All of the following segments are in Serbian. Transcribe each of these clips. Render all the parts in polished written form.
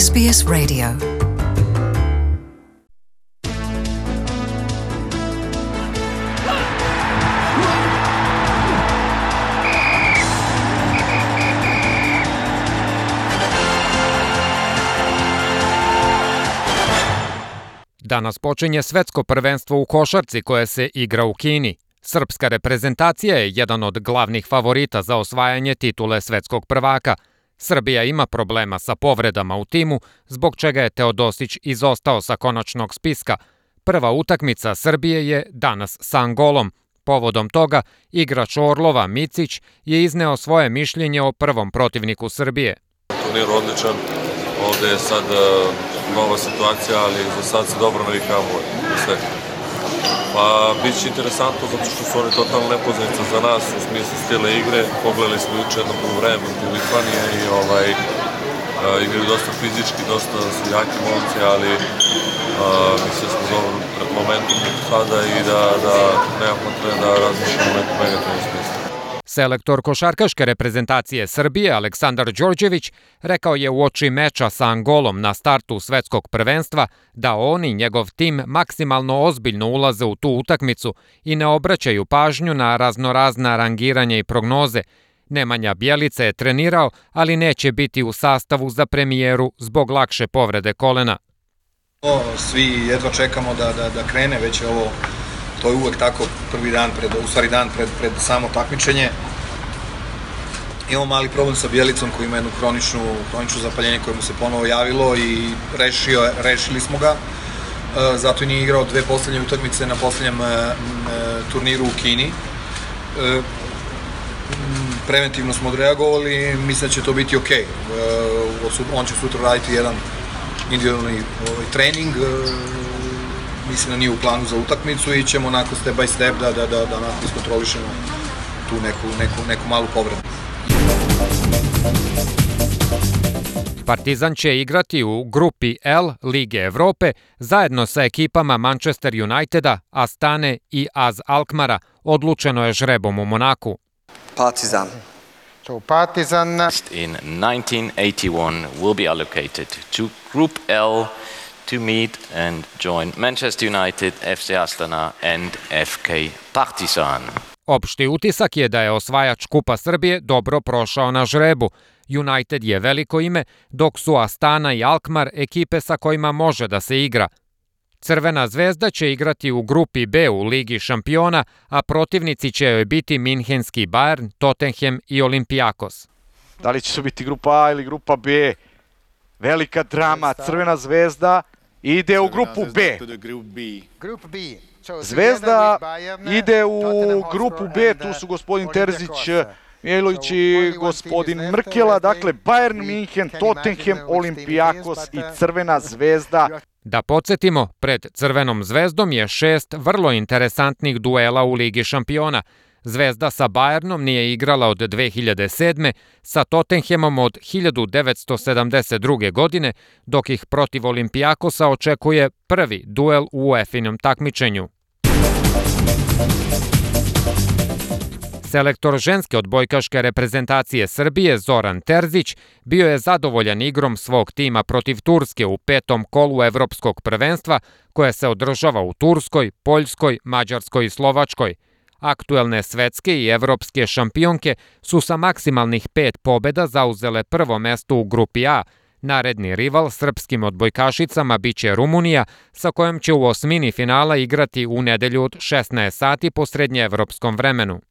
SBS Radio. Danas počinje svetsko prvenstvo u košarci koje se igra u Kini. Srpska reprezentacija je jedan od glavnih favorita za osvajanje titule svetskog prvaka. Srbija ima problema sa povredama u timu, zbog čega je Teodosić izostao sa konačnog spiska. Prva utakmica Srbije je danas sa Angolom. Povodom toga, igrač Orlova Micić je izneo svoje mišljenje o prvom protivniku Srbije. Turnir odličan, ovde je sad nova situacija, ali za sad se dobro navikavamo na sve. Pa bit će interesantno zato što su oni totalno nepoznanica za nas u smislu stila igre. Pogledali smo juče jedno poluvreme protiv Litvanije i igraju dosta fizički, dosta su jaki momci, ali mislim da smo dobro pred momentom sada i da nema potrebe da razmišljamo u nekom negativnom smislu. Selektor košarkaške reprezentacije Srbije Aleksandar Đorđević rekao je uoči meča sa Angolom na startu svetskog prvenstva da on i njegov tim maksimalno ozbiljno ulaze u tu utakmicu i ne obraćaju pažnju na raznorazna rangiranja i prognoze. Nemanja Bjelica je trenirao, ali neće biti u sastavu za premijeru zbog lakše povrede kolena. Svi jedva čekamo da krene, već je ovo. To je uvek tako prvi dan, dan pred samo takmičenje. Imamo mali problem sa Bjelicom koji ima jednu hroničnu zapaljenje koje mu se ponovo javilo i rešili smo ga. Zato i nije igrao dve poslednje utakmice na poslednjem turniru u Kini. Preventivno smo odreagovali i mislim da će to biti okej. On će sutra raditi jedan individualni trening. Mislim da nije u planu za utakmicu i ćemo onako step by step da onako iskontrolišemo tu neku malu povredu. Partizan će igrati u grupi L Lige Evrope zajedno sa ekipama Manchester Uniteda, Astane i AZ Alkmara. Odlučeno je žrebom u Monaku. Partizan. So Partizan in 1981 will be allocated to Group L to meet and join Manchester United, FC Astana and FK Partizan. Opšti utisak je da je osvajač Kupa Srbije dobro prošao na žrebu. United je veliko ime, dok su Astana i Alkmar ekipe sa kojima može da se igra. Crvena zvezda će igrati u grupi B u Ligi šampiona, a protivnici će joj biti Minhenski Bayern, Tottenham i Olympiakos. Da li će to biti grupa A ili grupa B? Velika drama, Crvena zvezda ide u grupu B. Zvezda ide u grupu B, tu su gospodin Terzić, Mijailović i gospodin Mrkela, dakle Bayern Minhen, Tottenham, Olympiakos i Crvena zvezda. Da podsjetimo, pred Crvenom zvezdom je 6 vrlo interesantnih duela u Ligi šampiona. Zvezda sa Bayernom nije igrala od 2007. sa Tottenhamom od 1972. godine, dok ih protiv Olympiakosa očekuje prvi duel u UEFA-inom takmičenju. Selektor ženske odbojkaške reprezentacije Srbije Zoran Terzić bio je zadovoljan igrom svog tima protiv Turske u 5. kolu evropskog prvenstva koje se održava u Turskoj, Poljskoj, Mađarskoj i Slovačkoj. Aktuelne svetske i evropske šampionke su sa maksimalnih 5 pobeda zauzele prvo mesto u grupi A. Naredni rival srpskim odbojkašicama biće Rumunija, sa kojom će u osmini finala igrati u nedelju od 16 sati po srednjeevropskom vremenu.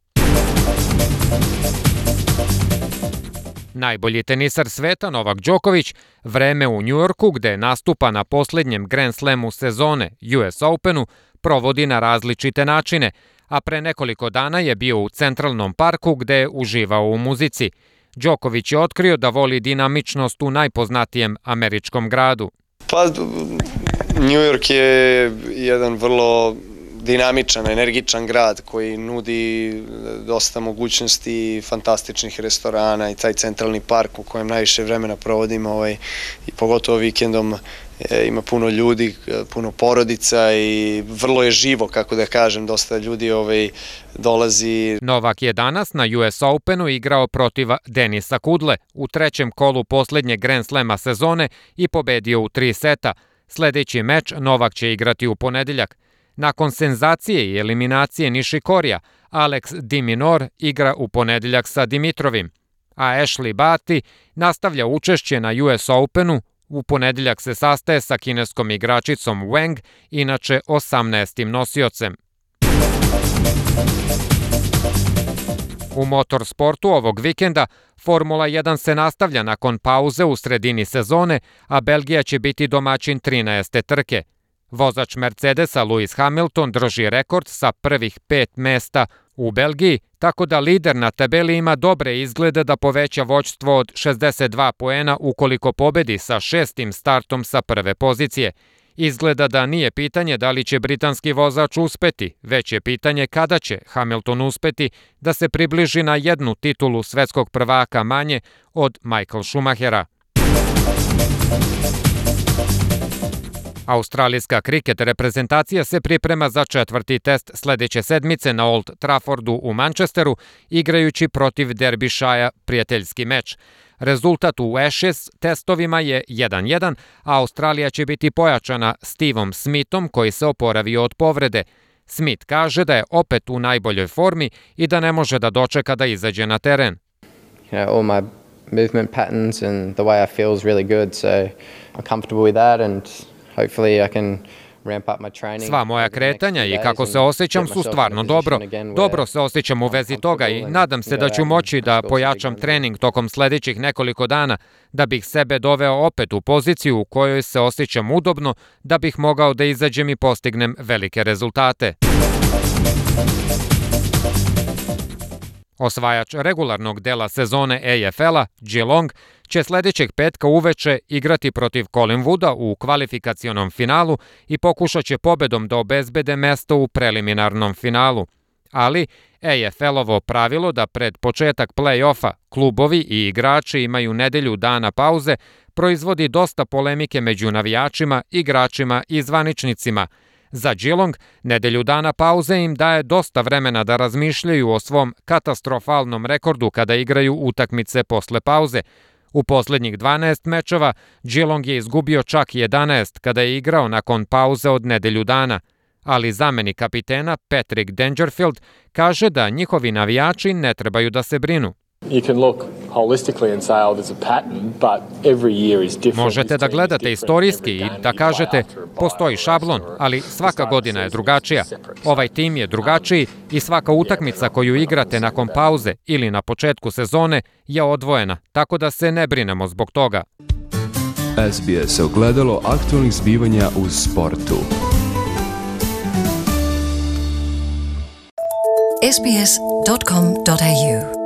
Najbolji tenisar sveta Novak Đoković vreme u Njujorku, gde nastupa na poslednjem Grand Slamu sezone US Openu, provodi na različite načine, a pre nekoliko dana je bio u Centralnom parku gde je uživao u muzici. Đoković je otkrio da voli dinamičnost u najpoznatijem američkom gradu. Pa, New York je jedan vrlo dinamičan, energičan grad koji nudi dosta mogućnosti, fantastičnih restorana i taj centralni park u kojem najviše vremena provodimo i pogotovo vikendom ima puno ljudi, puno porodica i vrlo je živo, kako da kažem, dosta ljudi dolazi. Novak je danas na US Openu igrao protiv Denisa Kudle u trećem kolu poslednjeg Grand Slama sezone i pobedio u 3 seta. Sledeći meč Novak će igrati u ponedeljak. Nakon senzacije i eliminacije Nišikorija, Alex de Minaur igra u ponedeljak sa Dimitrovim, a Ashley Barty nastavlja učešće na US Openu. U ponedeljak se sastaje sa kineskom igračicom Wang, inače 18. nosiocem. U motorsportu ovog vikenda Formula 1 se nastavlja nakon pauze u sredini sezone, a Belgija će biti domaćin 13. trke. Vozač Mercedesa Lewis Hamilton drži rekord sa prvih 5 mesta u Belgiji, tako da lider na tabeli ima dobre izglede da poveća vođstvo od 62 poena ukoliko pobedi sa 6. startom sa prve pozicije. Izgleda da nije pitanje da li će britanski vozač uspeti, već je pitanje kada će Hamilton uspeti da se približi na jednu titulu svetskog prvaka manje od Michael Schumachera. Australijska kriket reprezentacija se priprema za 4. test sledeće sedmice na Old Traffordu u Manchesteru, igrajući protiv Derbyshire prijateljski meč. Rezultat u Ashes testovima je 1-1, a Australija će biti pojačana Stevom Smithom koji se oporavio od povrede. Smith kaže da je opet u najboljoj formi i da ne može da dočeka da izađe na teren. All my movement patterns and the way I feel is really good, so I'm comfortable with that and hopefully I can ramp up my training. Sva moja kretanja i kako se osjećam su stvarno dobro. Dobro se osjećam u vezi toga i nadam se da ću moći da pojačam trening tokom sledećih nekoliko dana, da bih sebe doveo opet u poziciju u kojoj se osjećam udobno, da bih mogao da izađem i postignem velike rezultate. Osvajač regularnog dela sezone AFL-a, Geelong, će sledećeg petka uveče igrati protiv Collingwooda u kvalifikacionom finalu i pokušat će pobedom da obezbede mesto u preliminarnom finalu. Ali AFL-ovo pravilo da pred početak play-offa klubovi i igrači imaju nedelju dana pauze proizvodi dosta polemike među navijačima, igračima i zvaničnicima. Za Geelong, nedelju dana pauze im daje dosta vremena da razmišljaju o svom katastrofalnom rekordu kada igraju utakmice posle pauze. U poslednjih 12 mečeva Geelong je izgubio čak 11 kada je igrao nakon pauze od nedelju dana, ali zamenik kapitena Patrick Dangerfield kaže da njihovi navijači ne trebaju da se brinu. Možete da gledate istorijski i da kažete postoji šablon, ali svaka godina je drugačija. Ovaj tim je drugačiji i svaka utakmica koju igrate nakon pauze ili na početku sezone je odvojena, tako da se ne brinemo zbog toga. SBS ogledalo aktualnih zbivanja u sportu. sbs.com.au